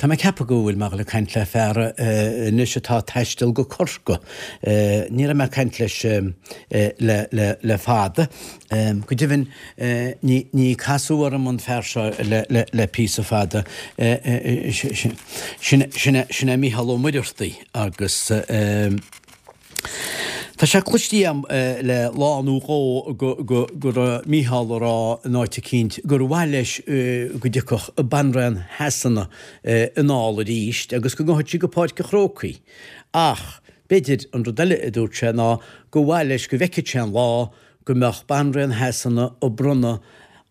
Tá mé ag ceapadh go bhfuil mé ag dul ag caint le fear anois atá ag taisteal go Corcaigh. Ní raibh mé ag caint leis le fada. Go deimhin, ní casadh orm an fear seo le píosa fada. Sin é Mícheál Ó Muircheartaigh agus. Tá sé cloiste agam le lá nó dhó go raibh Mícheál ag rá in áit eicínt gur mhaith leis go dtiocfadh Banríon Shasana anall arís agus go ngabhfadh sí go Páirc an Chrócaigh. Ach b'fhéidir an rud eile a dúirt sé ná gur mhaith leis go bhfeicfeadh sé an lá go mbeadh Banríon Shasana ag bronnadh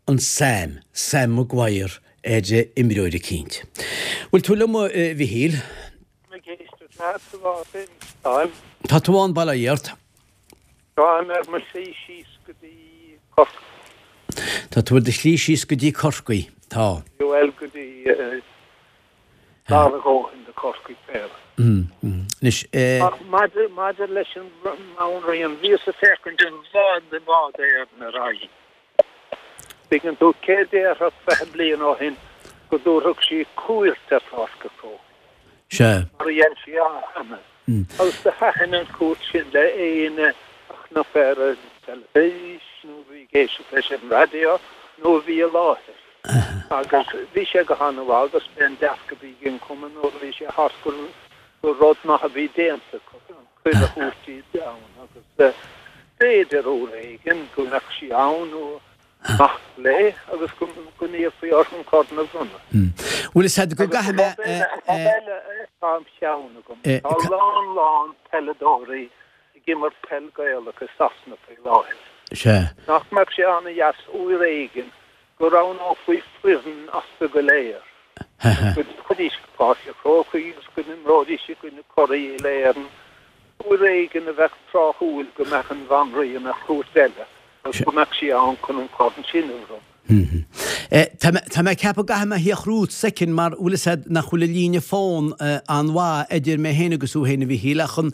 an Sam, Sam Maguire, ar imreoir eicínt. Bhfuil tú liom a Mhichíl? Ag éisteacht leat a Mháirtín. Táim. Tá tú ann, bail ó Dhia ort. Táim ar mo shlí síos go dtí Corcaigh. Tá tú ar do shlí síos go dtí Corcaigh. Tá. Bhuel, go dtí gar a dhóthain do Chorcaigh, b'fhéidir. Anois. Ach maidir, maidir leis an mBanríon, bhíos ag féachaint i bhfad, i bhfad Éireann ar aghaidh. Tuigeann tú, cé déarfadh 20 bliain ó shin go dtabharfadh sí cuairt ar Pháirc an Chrócaigh? Sea. Mar a dhein sí cheana. Agus do thaitin an chuairt sin le éinne a chonaic ar an teilifís nó a bhí ag éisteacht leis ar an raidió nó a bhí i láthair. Agus bhí sé go han-mhaith agus b'é an dearcadh a bhí ag an chumann nuair a bhí sé thart gur rud maith a bhí déanta acu. cuireadh a thabhairt di ann agus b'fhéidir uair éigin go mbeadh sí ann nó mac léi agus go n-iarrfaí orthu an corn a bhronnadh. Bhfuil fhios a'd go gcaithfidh mé. Rud eile atá im cheann agam, tá a lán lán peileadóirí ag imirt peil Gaelach i Sasana faoi láthair. Sea. Nach mbeadh sé an-dheas uair éigin go roghnófaí foireann astu go léir agus go dtiocfaidís go Páirc an Chrócaigh agus go n-imreoidís i gcoinne curaidh Uile-Éireann, uair éigin a bheadh tráthúil go mbeadh an Bhanríon ar chuairt eile agus go mbeadh sí ann chun an corn sin a bhronnadh. Tá mé ag ceapadh go gcaithfidh mé a theacht romhat soicind mar bhfuil fhios a'd nach bhfuil an líne fón an-mhaith idir mé féin agus thú féin a Mhichíl ach an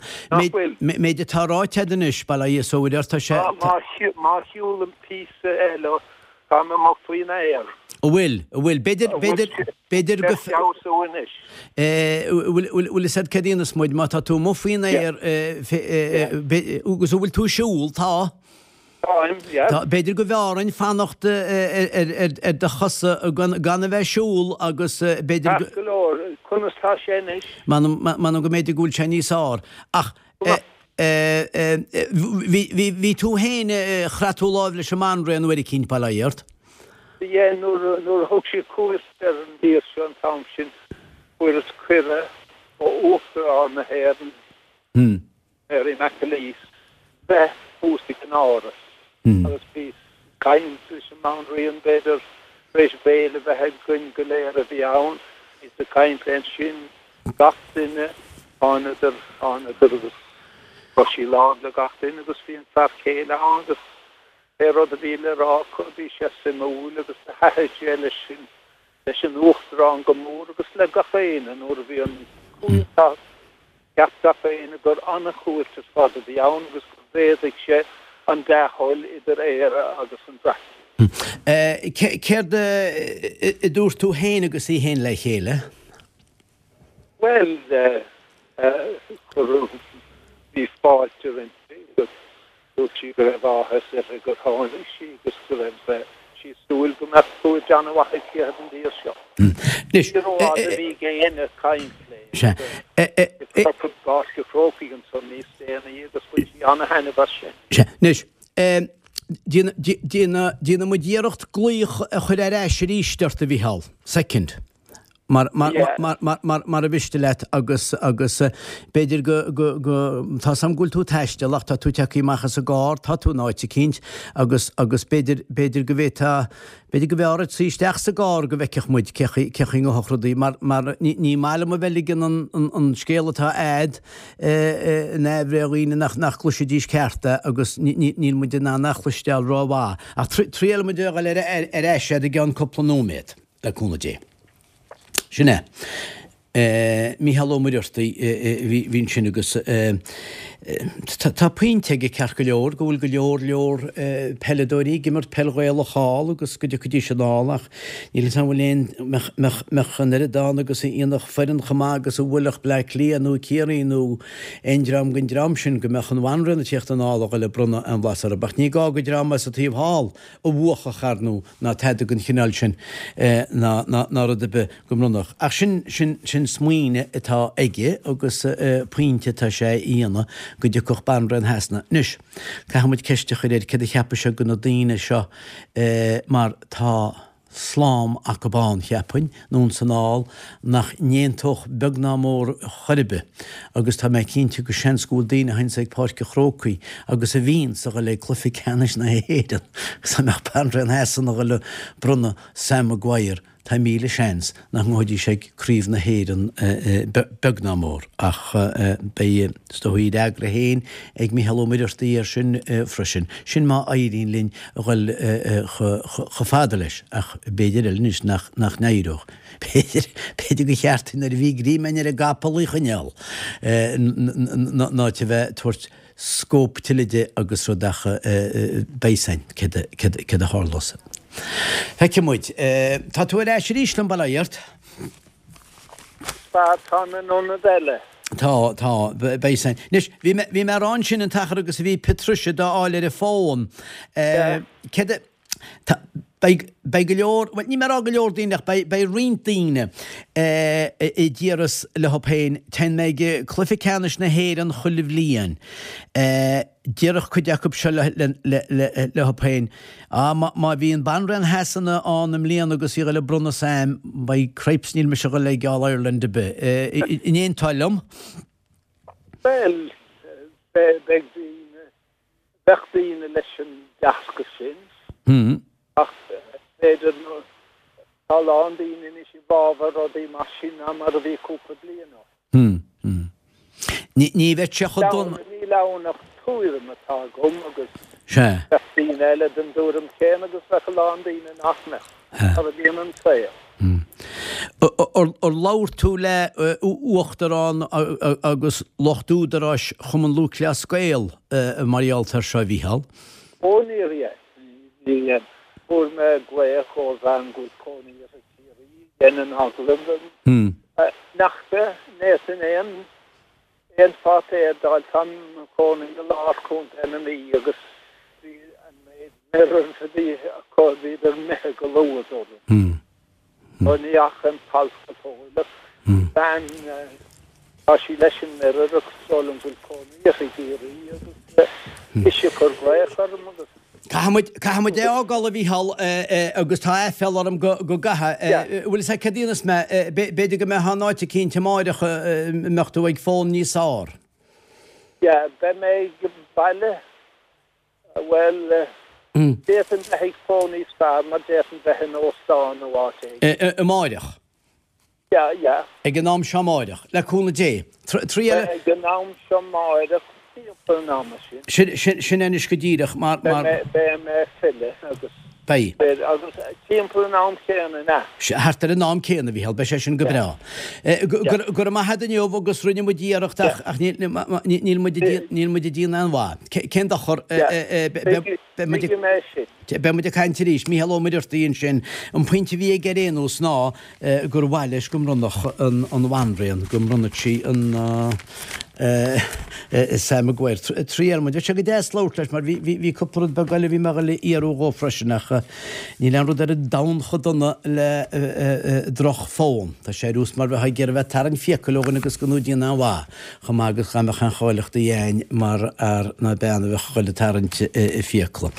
méid atá ráite a'd anois, bail ó Dhia is ó Mhuire ort, tá sé. Má shiúlaim píosa eile Táim amuigh faoin aer. An bhfuil? An bhfuil? B'fhéidir, b'fhéidir, b'fhéidir go. Beidh feabhsú anois. Bhfuil, bhfuil fhios a'd céard a dhéanfas muid, má tá tú amuigh faoin aer, agus an bhfuil tú ag siúl? Tá. Táim, yeah. Tá, b'fhéidir go mb'fhearr dhuinn fanacht ar do chosa gan a bheith ag siúl agus b'fhéidir go. Ceart go leor, conas tá sé anois? M'anam, m'anam go mb'fhéidir go bhfuil sé níos fearr. Ach. Bhí tú féin, chraith tú láimh leis an mBanríon uair eicínt, bail ó Dhia ort. Yeah, nuair a thug sí cuairt ar an dtír seo an t-am sin, fuaireas cuireadh ó Uachtarán na hÉireann, Mary McAleese, bheith thuas ag an Áras agus bhíos ag caint leis an mBanríon, b'fhéidir, tar éis béile a bheith againn go léir a bhí ann, bhíos ag caint léi ansin. Gach duine, thánadar, thánadar agus chroith sí lámh le gach duine agus bhí an fear céile ann agus pé rud a bhí le rá acu bhí sé suimiúil agus do thaitin sé leis an, leis an Uachtarán go mór agus le gach éinne nuair a bhí an cuairt thart, cheap gach éinne gur an-chuairt ar fad a bhí ann agus gur mhéadaigh sé an dea-thoil idir Éire agus an Bhreatain. Céard a dúirt tú féin agus í féin le chéile? Bhuel, cuireadh, bhí fáilte roimpi agus dúirt sí go raibh áthas uirthi gur tháinig sí agus go raibh sí ag súil go mbeadh cuairt an-mhaith aici ar an dtír seo. Anois, Ní rófhada a bhí ag éinne ag caint léi agus i bPáirc an Chrócaigh ansan níos déanaí agus bhain sí an-thaitneamh as sin. Sea. Anois, déanfaidh muid iarracht glaoch a chur ar ais arís ort, a Mhicheál. Soicind. Mar, mar, mar, mar, mar, mara mhiste leat agus, agus b'fhéidir go, go, go, tá 's a'm go bhfuil tú ag taisteal ach tá tú tagtha amach as an gcarr, tá tú in áit eicínt agus, agus b'fhéidir, b'fhéidir go bhféadfá, b'fhéidir go mb'fhearr duit suí isteach sa gcarr go bhfeicfeadh muid cé chaoi, cé chaoi a ngabhfadh rudaí mar, mar ní, ní maith liom a bheith ag ligean an, an, an scéal atá a'd in aimhréidh dhaoine nach, nach gcloisfidís ceart é agus ní, ní, níl muid in ann é a chloisteáil rómhaith. Ach triailfidh muid a dhul ar, ar, ar ais a'd i gceann cúpla nóiméad. Le cúnamh Dé. Sin é. Mícheál Ó Muircheartaigh a bhí ansin agus. Tá pointe aige ceart go leor go bhfuil go leor leor peileadóirí ag imirt peil Ghaelach thall agus go dtiocfaidís anall ach níl 'fhios a'm an bhfuil aon, mbeadh, mbeadh an oiread ann agus a dhéanfadh foireann chomh maith agus a bhuailfeadh Bleá Cliath nó Ciarraí nó aon dream den dream sin go mbeadh an bhanríon ag tíocht anall a dhul ag bronnadh aon bhlas orthu. Ach ní gá go dream as an taobh thall a bhuafadh ar ndú ná tada den chineál sin ná ná rud ar bith go mbronnfadh. Ach sin sin sin smaoineamh atá aige agus pointe atá sé a dhéanamh go dtiocfadh Banríon Shasana. Anois, caithfidh muid ceist a chur air céard a cheapfadh sé de na daoine seo mar tá slám acub ann, cheapfainn, anonn 's anall, nach n-aontódh beag ná mór chor ar bith agus tá mé cinnte go seans go bhfuil daoine a théanns ag Páirc an Chrócaigh agus a bhíonns a dhul ag Cluiche Ceannais na hÉireann agus dá mbeadh Banríon Shasana a dhul a bronnadh Sam Maguire tá míle seans nach ngabhfaidís ag Craobh na hÉireann beag ná mór ach beidh is dóigh a fhreagra féin ag Mícheál Ó Muircheartaigh air sin freisin. Sin má éiríonn linn a dhul chomh fada leis ach b'fhéidir eile anois nach n-éireodh. B'fhéidir, b'fhéidir gur cheart nuair a bhí greim againn ar an gcapall í a choinneáil ná a bheith ag tabhairt scóip tuilleadh di agus rud ach beidh 'fhios a'inn céard a tharlós. Feicfidh muid. Tá tú ar ais arís liom, bail ó Dhia ort. Tá, táim in ionad eile. Tá, tá, beidh 'fhios a'inn. Anois, bhí mé, bhí mé a rá ansin an t-achar agus a bhí Patricia d'fháil ar an bhfón. Céard a, tá, beidh, beidh go leor, bhuel, níl mé a rá go leor daoine ach beidh, beidh roinnt daoine a déarfas leo féin, téann mé ag Cluiche Ceannais na hÉireann chuile bhliain. Déarfadh cuid acu seo leo féin, Á, má bhíonn Banríon Shasana ann i mbliana agus í a dhul ag bronnadh Sam, by cripes níl mise a dhul ag All Ireland ar bith. An aontófá liom? Bhuel, beidh daoine, bheadh daoine leis an dearcadh sin. Ach b'fhéidir, tá a lán daoine anois i bhfabhar rudaí mar sin ná mar a bhí cúpla bliain ó shin. Ní bheadh sé chomh dona. Níl ann ach tuairim atá agam agus bheadh daoine eile den dtuairim chéanna agus bheadh a lán daoine nach mbeadh, mar a bhíonn an saol. Ar labhair tú le Uachtarán agus lucht údaráis Chumann Lúthchleas Gael mar gheall air seo, a Mhícheál? Ó níor dhein. Níor dhein. Fuair mé glaoch ó bhean go bhfuil cónaí uirthi i Ciarraí, dhein an agallamh liom. Nach bhféadfainn aon aon pháipéar d'fháil, táim i mo chónaí i lár Chontae na Mí agus bhí an méid Mirror a bhí acu, bhíodar imithe go luath, dúradh. Ó ní fhaca an t-alt go fóill ach bean, tá sí leis an Mirror agus is dóigh liom go bhfuil cónaí uirthi i gCiarraí agus ise a chuir glaoch orm agus. Caithfidh muid, caithfidh muid é a fhágáil a Mhícheál agus tá aiféala orm go, go gcaithfidh. Bhfuil fhios agat céard a dhéanfas mé, b'fhéidir go mbeifeá in áit eicínt amáireach a mbeadh tú ag fón níos fearr. Yeah, beidh mé ag baile Bhuel, d'fhéadfainn bheith ag fón níos fearr mar d'fhéadfainn bheith in óstán nó áit éigin. Amáireach? Yeah, yeah. Ag an am seo amáireach, le cúnamh Dé. Triail. Ag an am seo amáireach, timpeall an ama sin. Sin, sin, sin anois go díreach mar, mar. Beidh mé ag filleadh agus. Beidh. Agus timpeall an am chéanna, an ea? Thart ar an am céanna, a Mhícheál, beidh sé sin go breá. Go raibh maith agat inniu agus rinne muid iarracht ach níl muid ag déanamh aon mhaith. Cén dochar? Beidh muid ag caint arís. Mícheál Ó Muircheartaigh ansin. An pointe a bhí aige ar aon nós ná gur mhaith leis go mbronnfadh an bhanríon, go mbronnfadh sí an Sam Maguire. Triailfidh muid. Bheadh sé go deas labhairt leis mar bhí cúpla rud beag eile a bhí mé a dhul a fhiafraí dhó freisin ach níl aon rud ar an domhan chomh dona le droch-fhón. Tá sé ar nós mar bheifeá ag iarraidh bheith ag tarraingt fiacail ó dhuine agus gan tú ag déanamh aon mhaith chomh maith agus dhá mbeadh aon cháilíochtaí a'inn mar fhear ná bean a bheadh a dhul ag tarraingt fiacla.